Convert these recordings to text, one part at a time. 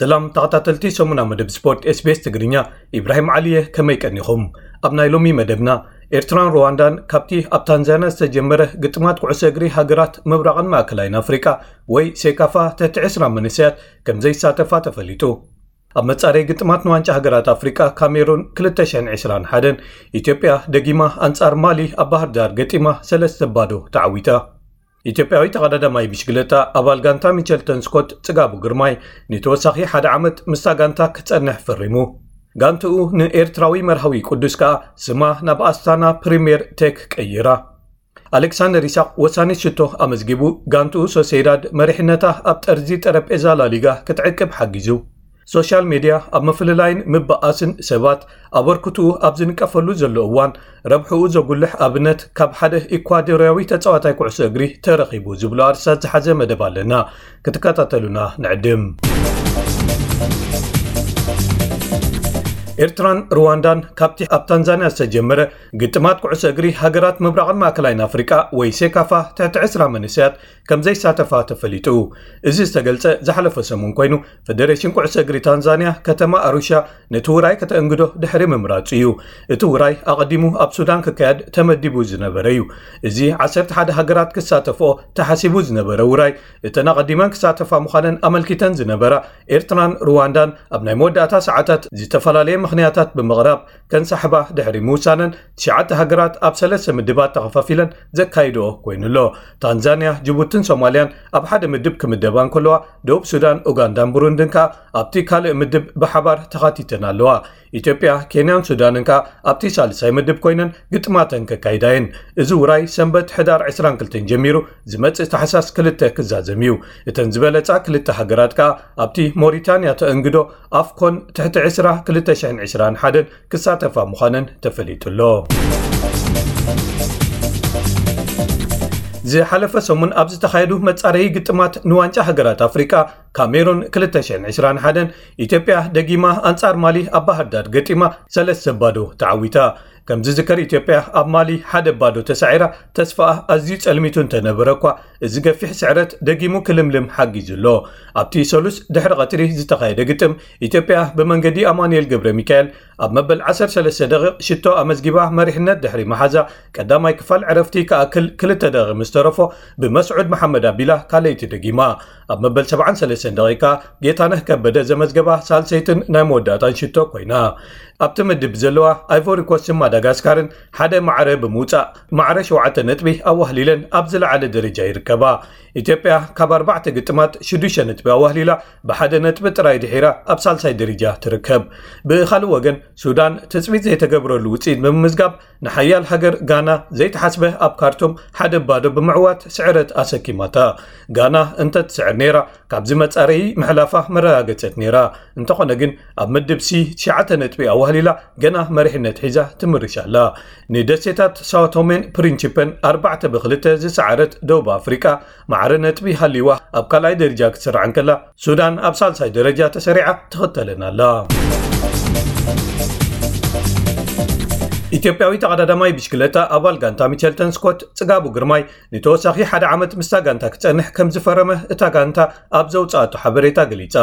ሰላም ተኸታተልቲ ሰሙና መደብ ስፖርት SBS ትግርኛ፣ ኢብራሂም ዓሊየ፣ ከመይ ቀኒኹም? ኣብ ናይ ሎሚ መደብና፣ ኤርትራን ሩዋንዳን ካብቲ ኣብ ታንዛንያ ዝተጀመረ ግጥማት ኩዕሶ እግሪ ሃገራት ምብራቕን ማእከላይን ኣፍሪቃ ወይ ሴካፋ ትሕቲ ዕስራ መንእሰያት ከም ዘይሳተፋ ተፈሊጡ። ኣብ መጻረይ ግጥማት ንዋንጫ ሃገራት ኣፍሪቃ ካሜሩን ክልተ ሽሕን ዕስራን ሓደን፣ ኢትዮጵያ ደጊማ ኣንጻር ማሊ ኣብ ባህር ዳር ገጢማ ሰለስተ ባዶ ተዓዊታ። ኢትዮጵያዊ ተቐዳዳማይ ብሽግለታ ኣባል ጋንታ ሚቸልተን ስኮት ጽጋቡ ግርማይ ንተወሳኺ ሓደ ዓመት ምስታ ጋንታ ክጸንሕ ፈሪሙ። ጋንትኡ ንኤርትራዊ መርሃዊ ቅዱስ ከኣ ስማ ናብ ኣስታና ፕሪምየር ቴክ ቀይራ። ኣሌክሳንደር ይስሐቅ ወሳኒ ሽቶ ኣመዝጊቡ፣ ጋንትኡ ሶሴዳድ መሪሕነታ ኣብ ጠርዚ ጠረጴዛ ላሊጋ ክትዕቅብ ሓጊዙ። ሶሻል ሜድያ ኣብ ምፍልላይን ምብኣስን ሰባት ኣበርክትኡ ኣብ ዝንቀፈሉ ዘሎ እዋን፣ ረብሕኡ ዘጉልሕ ኣብነት ካብ ሓደ ኢኳዶርያዊ ተጻዋታይ ኩዕሶ እግሪ ተረኺቡ ዝብሉ ኣርእስታት ዝሓዘ መደብ ኣለና። ክትከታተሉና ንዕድም። ኤርትራን ሩዋንዳን ካብቲ ኣብ ታንዛንያ ዝተጀመረ ግጥማት ኩዕሶ እግሪ ሃገራት ምብራቕን ማእከላይን ኣፍሪቃ ወይ ሴካፋ ትሕቲ ዕስራ መንእሰያት ከም ዘይሳተፋ ተፈሊጡ። እዚ ዝተገልጸ ዝሓለፈ ሰሙን ኮይኑ፣ ፈደሬሽን ኩዕሶ እግሪ ታንዛንያ ከተማ ኣሩሻ ነቲ ውራይ ከተእንግዶ ድሕሪ ምምራጹ እዩ። እቲ ውራይ ኣቐዲሙ ኣብ ሱዳን ክካየድ ተመዲቡ ዝነበረ እዩ። እዚ ዓሰርተ ሓደ ሃገራት ክሳተፍኦ ተሓሲቡ ዝነበረ ውራይ፣ እተን ኣቐዲመን ክሳተፋ ምዃነን ኣመልኪተን ዝነበራ ኤርትራን ሩዋንዳን ኣብ ናይ መወዳእታ ሰዓታት ዝተፈላለየ ምኽንያታት ብምቕራብ ከንሳሕባ ድሕሪ ምውሳነን፣ ትሽዓተ ሃገራት ኣብ ሰለስተ ምድባት ተኸፋፊለን ዘካይድኦ ኮይኑ ኣሎ። ታንዛንያ፣ ጅቡትን ሶማልያን ኣብ ሓደ ምድብ ክምደባ እንከለዋ፣ ደቡብ ሱዳን፣ ኡጋንዳን ብሩንድን ከኣ ኣብቲ ካልእ ምድብ ብሓባር ተኻቲተን ኣለዋ። ኢትዮጵያ፣ ኬንያን ሱዳንን ከኣ ኣብቲ ሳልሳይ ምድብ ኮይነን ግጥማተን ከካይዳ እየን። እዚ ውራይ ሰንበት ሕዳር ዕስራን ክልተን ጀሚሩ ዝመጽእ ታሕሳስ ክልተ ክዛዘም እዩ። እተን ዝበለጻ ክልተ ሃገራት ከኣ ኣብቲ ሞሪታንያ ተእንግዶ ኣፍኮን ትሕቲ ዕስራ ክልተ ሽሕን ዕስራን ሓደን ክሳተፋ ምዃነን ተፈሊጡ ኣሎ። ዝሓለፈ ሰሙን ኣብ ዝተኻየዱ መጻረዪ ግጥማት ንዋንጫ ሃገራት ኣፍሪቃ፣ ካሜሩን ክልተ ሽሕን ዕስራን ሓደን፣ ኢትዮጵያ ደጊማ ኣንጻር ማሊ ኣብ ባህር ዳር ገጢማ ሰለስተ ባዶ ተዓዊታ። ከም ዝዝከር፣ ኢትዮጵያ ኣብ ማሊ ሓደ ባዶ ተሳዒራ፣ ተስፋኣ ኣዝዩ ጸልሚቱ እንተነበረ እኳ፣ እዚ ገፊሕ ስዕረት ደጊሙ ክልምልም ሓጊዙ ኣሎ። ኣብቲ ሰሉስ ድሕሪ ቀትሪ ዝተኻየደ ግጥም፣ ኢትዮጵያ ብመንገዲ ኣማኑኤል ገብረ ሚካኤል ኣብ መበል ዓሰርተ ሰለስተ ደቂቕ ሽቶ ኣመዝጊባ መሪሕነት ድሕሪ መሓዛ፣ ቀዳማይ ክፋል ዕረፍቲ ክኣክል ክልተ ደቂቕ ምስ ተረፎ፣ ብመስዑድ መሓመድ ኣቢላ ካልኣይቲ ደጊማ። ኣብ መበል ሰብዓን ሰለስተን ደቂቃ ጌታነህ ከበደ ዘመዝገባ ሳልሰይትን ናይ መወዳእታን ሽቶ ኮይና። ኣብቲ ምድብ ዘለዋ ኣይቮሪ ኮስትን ማዳጋስካርን ሓደ ማዕረ ብምውጻእ፣ ማዕረ ሸውዓተ ነጥቢ ኣዋህሊለን ኣብ ዝለዓለ ደረጃ ይርከባ። ኢትዮጵያ ካብ ኣርባዕተ ግጥማት ሽዱሽተ ነጥቢ ኣዋህሊላ፣ ብሓደ ነጥቢ ጥራይ ድሒራ ኣብ ሳልሳይ ደረጃ ትርከብ። ብኻልእ ወገን፣ ሱዳን ትጽቢት ዘይተገብረሉ ውጽኢት ብምምዝጋብ፣ ንሓያል ሃገር ጋና ዘይተሓስበ ኣብ ካርቱም ሓደ ባዶ ብምዕዋት ስዕረት ኣሰኪማታ። ጋና እንተትስዕር ነይራ፣ ካብዚ መጻረዪ ምሕላፋ መረጋገጸት ነይራ። እንተኾነ ግን፣ ኣብ ምድብ ሲ ትሽዓተ ነጥቢ ኣዋህሊላ፣ ገና መሪሕነት ሒዛ ትምርሽ ኣላ። ንደሴታት ሳኦ ቶሜን ፕሪንቺፐን ኣርባዕተ ብክልተ ዝሰዓረት ደቡብ ኣፍሪቃ፣ ማዕረ ነጥቢ ሃልይዋ ኣብ ካልኣይ ደረጃ ክትስራዕ እንከላ፣ ሱዳን ኣብ ሳልሳይ ደረጃ ተሰሪዓ ትኽተለን ኣላ። ኢትዮጵያዊ ተቐዳዳማይ ብሽክለታ ኣባል ጋንታ ሚቸልተን ስኮት ጽጋቡ ግርማይ ንተወሳኺ ሓደ ዓመት ምስታ ጋንታ ክጸንሕ ከም ዝፈረመ እታ ጋንታ ኣብ ዘውጽኣቶ ሓበሬታ ገሊጻ።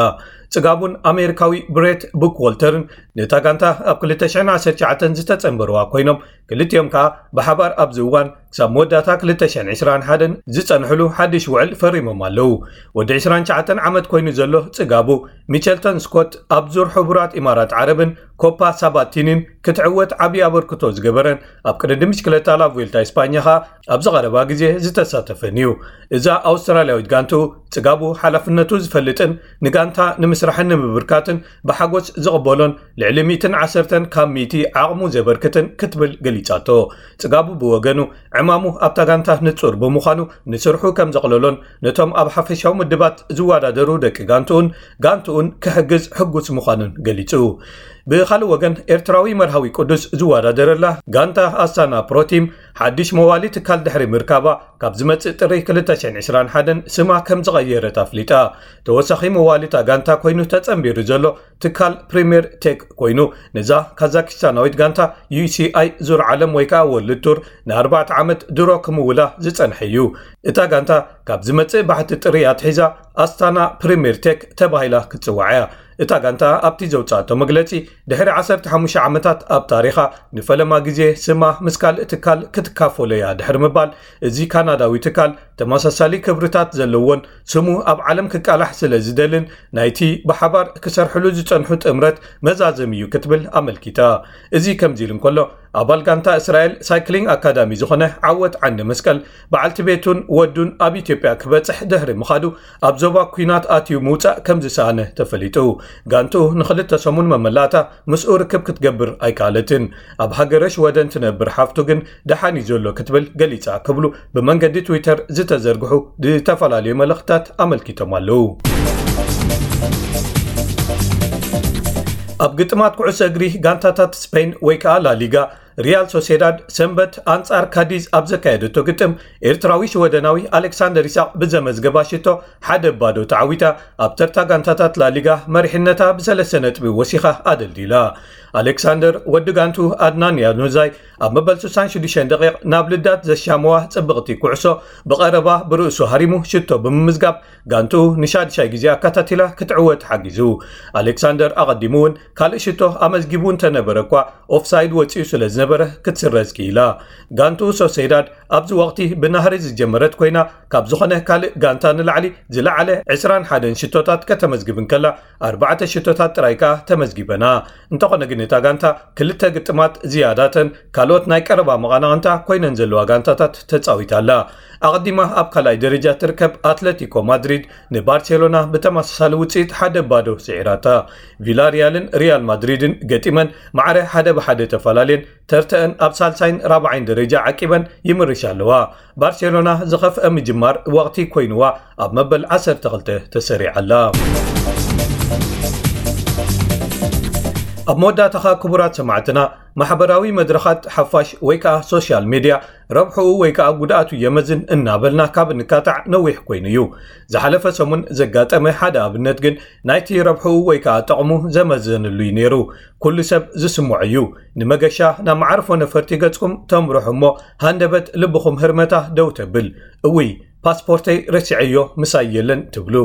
ጽጋቡን ኣሜሪካዊ ብሬት ቡክዎልተርን ነታ ጋንታ ኣብ ክልተ ሽሕን ዓሰርተ ትሽዓተን ዝተጸንበርዋ ኮይኖም፣ ክልቲኦም ከኣ ብሓባር ኣብዚ እዋን ክሳብ መወዳእታ ክልተ ሽሕን ዕስራን ሓደን ዝጸንሕሉ ሓድሽ ውዕል ፈሪሞም ኣለዉ። ወዲ ዕስራን ትሽዓተን ዓመት ኮይኑ ዘሎ ጽጋቡ፣ ሚቸልተን ስኮት ኣብ ዙር ሕቡራት ኢማራት ዓረብን ኮፓ ሳባቲኒን ክትዕወት ዓቢ ኣበርክቶ ዝገበረን፣ ኣብ ቅድድም ብሽክለታ ላቭዌልታ ኢስፓኛ ከኣ ኣብዚ ቀረባ ግዜ ዝተሳተፈን እዩ። እዛ ኣውስትራልያዊት ጋንትኡ፣ ጽጋቡ ሓላፍነቱ ዝፈልጥን ንጋንታ ንምስራሕን ንምብርካትን ብሓጎስ ዝቕበሎን፣ ልዕሊ ሚእትን ዓሰርተን ካብ ሚእቲ ዓቕሙ ዘበርክትን ክትብል ገሊጻቶ። ጽጋቡ ብወገኑ፣ ዕማሙ ኣብታ ጋንታ ንጹር ብምዃኑ፣ ንስርሑ ከም ዘቕለሎን ነቶም ኣብ ሓፈሻዊ ምድባት ዝወዳደሩ ደቂ ጋንትኡን ጋንትኡን ክሕግዝ ሕጉስ ምዃኑን ገሊጹ። ብኻልእ ወገን፣ ኤርትራዊ መርሃዊ ቅዱስ ዝወዳደረላ ጋንታ ኣስታና ፕሮቲም ሓድሽ መዋሊ ትካል ድሕሪ ምርካባ፣ ካብ ዝመጽእ ጥሪ ክልተ ሽሕን ዕስራን ሓደን ስማ ከም ዝቐየረት ኣፍሊጣ። ተወሳኺ መዋሊ እታ ጋንታ ኮይኑ ተጸንቢሩ ዘሎ ትካል ፕሪምየር ቴክ ኮይኑ፣ ነዛ ካዛኪስታናዊት ጋንታ ዩሲኣይ ዙር ዓለም ወይ ከኣ ወርልድ ቱር ንኣርባዕተ ዓመት ድሮ ክምውላ ዝጸንሐ እዩ። እታ ጋንታ ካብ ዝመጽእ ባሕቲ ጥሪ ኣትሒዛ ኣስታና ፕሪምየር ቴክ ተባሂላ ክትጽዋዕ እያ። እታ ጋንታ ኣብቲ ዘውጻእቶ መግለጺ፣ ድሕሪ ዓሰርተ ሓሙሽተ ዓመታት ኣብ ታሪኻ ንፈለማ ግዜ ስማ ምስ ካልእ ትካል ክትካፈሎ እያ ድሕሪ ምባል፣ እዚ ካናዳዊ ትካል ተመሳሳሊ ክብርታት ዘለዎን ስሙ ኣብ ዓለም ክቃላሕ ስለ ዝደልን ናይቲ ብሓባር ክሰርሕሉ ዝጸንሑ ጥምረት መዛዘሚ እዩ ክትብል ኣመልኪታ። እዚ ከምዚ ኢሉ እንከሎ፣ ኣባል ጋንታ እስራኤል ሳይክሊንግ ኣካዳሚ ዝኾነ ዓወት ዓንደ መስቀል፣ በዓልቲ ቤቱን ወዱን ኣብ ኢትዮጵያ ክበጽሕ ድሕሪ ምኻዱ፣ ኣብ ዞባ ኲናት ኣትዩ ምውጻእ ከም ዝሰኣነ ተፈሊጡ። ጋንትኡ ንኽልተ ሰሙን መመላእታ ምስኡ ርክብ ክትገብር ኣይከኣለትን። ኣብ ሃገረ ሽወደን ትነብር ሓፍቱ ግን ደሓን እዩ ዘሎ ክትብል ገሊጻ ክብሉ ብመንገዲ ትዊተር ዝተዘርግሑ ዝተፈላለዩ መልእኽትታት ኣመልኪቶም ኣለዉ። ኣብ ግጥማት ኩዕሶ እግሪ ጋንታታት ስፔን ወይ ከኣ ላሊጋ፣ ሪያል ሶሴዳድ ሰንበት ኣንጻር ካዲዝ ኣብ ዘካየደቶ ግጥም፣ ኤርትራዊ ሽወደናዊ ኣሌክሳንደር ይስሐቅ ብዘመዝገባ ሽቶ ሓደ ባዶ ተዓዊታ ኣብ ተርታ ጋንታታት ላሊጋ መሪሕነታ ብሰለስተ ነጥቢ ወሲኻ ኣደልዲላ። ኣሌክሳንደር ወዲ ጋንቱ ኣድናን ያኑዛይ ኣብ መበል ስሳን ሽዱሽተን ደቂቕ ናብ ልዳት ዘሻመዋ ጽብቕቲ ኩዕሶ ብቐረባ ብርእሱ ሃሪሙ ሽቶ ብምምዝጋብ ጋንቱ ንሻድሻይ ግዜ ኣካታቲላ ክትዕወት ሓጊዙ። ኣሌክሳንደር ኣቐዲሙ እውን ካልእ ሽቶ ኣመዝጊቡ እንተነበረ እኳ ኦፍሳይድ ወጺኡ ስለ ዝነበረ ክትስረዝ ክኢላ። ጋንቱ ሶሴዳድ ኣብዚ ወቕቲ ብናህሪ ዝጀመረት ኮይና ካብ ዝኾነ ካልእ ጋንታ ንላዕሊ ዝለዓለ ዕስራን ሓደን ሽቶታት ከተመዝግብ እንከላ ኣርባዕተ ሽቶታት ጥራይ ከኣ ተመዝጊበና። እንተኾነ ግን እታ ጋንታ ክልተ ግጥማት ዝያዳተን ካልኦት ናይ ቀረባ መቓናቕንታ ኮይነን ዘለዋ ጋንታታት ተጻዊታ ኣላ። ኣቐዲማ ኣብ ካልኣይ ደረጃ ትርከብ ኣትለቲኮ ማድሪድ ንባርሴሎና ብተመሳሳሊ ውጽኢት ሓደ ባዶ ስዒራታ። ቪላሪያልን ሪያል ማድሪድን ገጢመን ማዕረ ሓደ ብሓደ ተፈላለየን ተርተአን ኣብ ሳልሳይን ራብዓይን ደረጃ ዓቂበን ይምርሻ ኣለዋ። ባርሴሎና ዝኸፍአ ምጅማር ወቕቲ ኮይንዋ ኣብ መበል ዓሰርተ ክልተ ተሰሪዓ ኣላ። ኣብ መወዳእታኻ ክቡራት ሰማዕትና፣ ማሕበራዊ መድረኻት ሓፋሽ ወይ ከኣ ሶሻል ሜድያ ረብሕኡ ወይ ከኣ ጉድኣቱ የመዝን እናበልና ካብ እንካታዕ ነዊሕ ኮይኑ እዩ። ዝሓለፈ ሰሙን ዘጋጠመ ሓደ ኣብነት ግን ናይቲ ረብሕኡ ወይ ከኣ ጠቕሙ ዘመዘንሉ እዩ ነይሩ። ኩሉ ሰብ ዝስምዖ እዩ። ንመገሻ ናብ መዓርፎ ነፈርቲ ገጽኩም ተምርሑ እሞ ሃንደበት ልብኹም ህርመታ ደው ተብል። እውይ ፓስፖርተይ ረሲዐዮ ምሳይ የለን ትብሉ።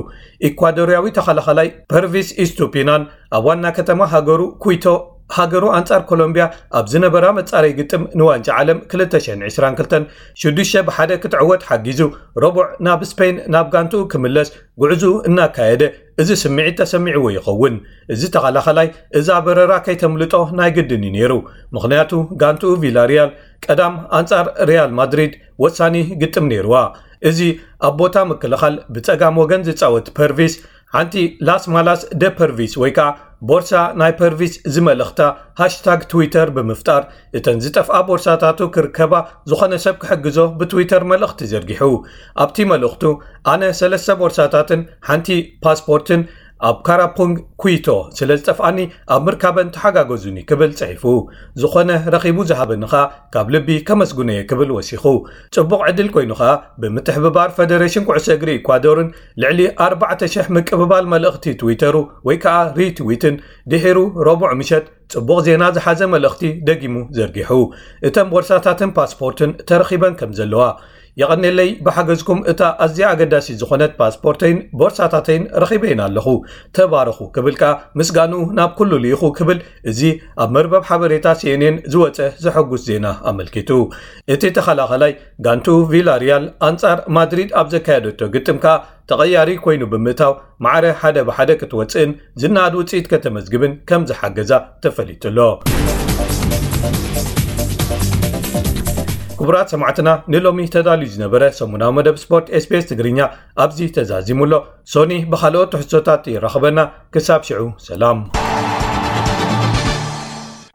ኢኳዶርያዊ ተኸላኸላይ ፐርቪስ ኢስቱፒናን ኣብ ዋና ከተማ ሃገሩ ኩይቶ ሃገሩ ኣንጻር ኮሎምቢያ ኣብ ዝነበራ መጻረይ ግጥም ንዋንጫ ዓለም ክልተ ሽሕን ዕስራን ክልተን ሽዱሽተ ብሓደ ክትዕወት ሓጊዙ ረቡዕ ናብ ስፔን ናብ ጋንትኡ ክምለስ ጉዕዙ እናካየደ እዚ ስምዒት ተሰሚዕዎ ይኸውን። እዚ ተኸላኸላይ እዛ በረራ ከይተምልጦ ናይ ግድን እዩ ነይሩ። ምኽንያቱ ጋንትኡ ቪላሪያል ቀዳም ኣንጻር ሪያል ማድሪድ ወሳኒ ግጥም ነይርዋ። እዚ ኣብ ቦታ ምክልኻል ብጸጋም ወገን ዝጻወት ፐርቪስ ሓንቲ ላስ ማላስ ደ ፐርቪስ ወይ ከዓ ቦርሳ ናይ ፐርቪስ ዝመልእኽታ ሃሽታግ ትዊተር ብምፍጣር እተን ዝጠፍኣ ቦርሳታቱ ክርከባ ዝኾነ ሰብ ክሕግዞ ብትዊተር መልእኽቲ ዘርጊሑ። ኣብቲ መልእኽቱ ኣነ ሰለስተ ቦርሳታትን ሓንቲ ፓስፖርትን ኣብ ካራፑንግ ኩይቶ ስለ ዝጠፍኣኒ ኣብ ምርካበን ተሓጋገዙኒ ክብል ጽሒፉ። ዝኾነ ረኺቡ ዝሃበኒ ኸኣ ካብ ልቢ ከመስግኖ እየ ክብል ወሲኹ። ጽቡቕ ዕድል ኮይኑ ኸኣ ብምትሕብባር ፈደሬሽን ኩዕሶ እግሪ ኢኳዶርን ልዕሊ ኣርባዕተ ሽሕ ምቅብባል መልእኽቲ ትዊተሩ ወይ ከኣ ሪትዊትን ድሒሩ ረቡዕ ምሸት ጽቡቕ ዜና ዝሓዘ መልእኽቲ ደጊሙ ዘርጊሑ። እተን ቦርሳታትን ፓስፖርትን ተረኺበን ከም ዘለዋ የቐኔለይ ብሓገዝኩም እታ ኣዝያ ኣገዳሲት ዝኾነት ፓስፖርተይን ቦርሳታተይን ረኺበየን ኣለኹ። ተባረኹ ክብል ከኣ ምስጋንኡ ናብ ኩሉ ልኢኹ ክብል እዚ ኣብ መርበብ ሓበሬታ ሲኤንኤን ዝወጸ ዘሐጉስ ዜና ኣመልኪቱ። እቲ ተኸላኸላይ ጋንቱ ቪላሪያል ኣንጻር ማድሪድ ኣብ ዘካየደቶ ግጥም ከኣ ተቐያሪ ኮይኑ ብምእታው ማዕረ ሓደ ብሓደ ክትወጽእን ዝነኣድ ውጽኢት ከተመዝግብን ከም ዝሓገዛ ተፈሊጡ ኣሎ። ክቡራት ሰማዕትና ንሎሚ ተዳልዩ ዝነበረ ሰሙናዊ መደብ ስፖርት ኤስቢኤስ ትግርኛ ኣብዚ ተዛዚሙ ኣሎ። ሶኒ ብኻልኦት ትሕዝቶታት ይራኸበና። ክሳብ ሽዑ ሰላም።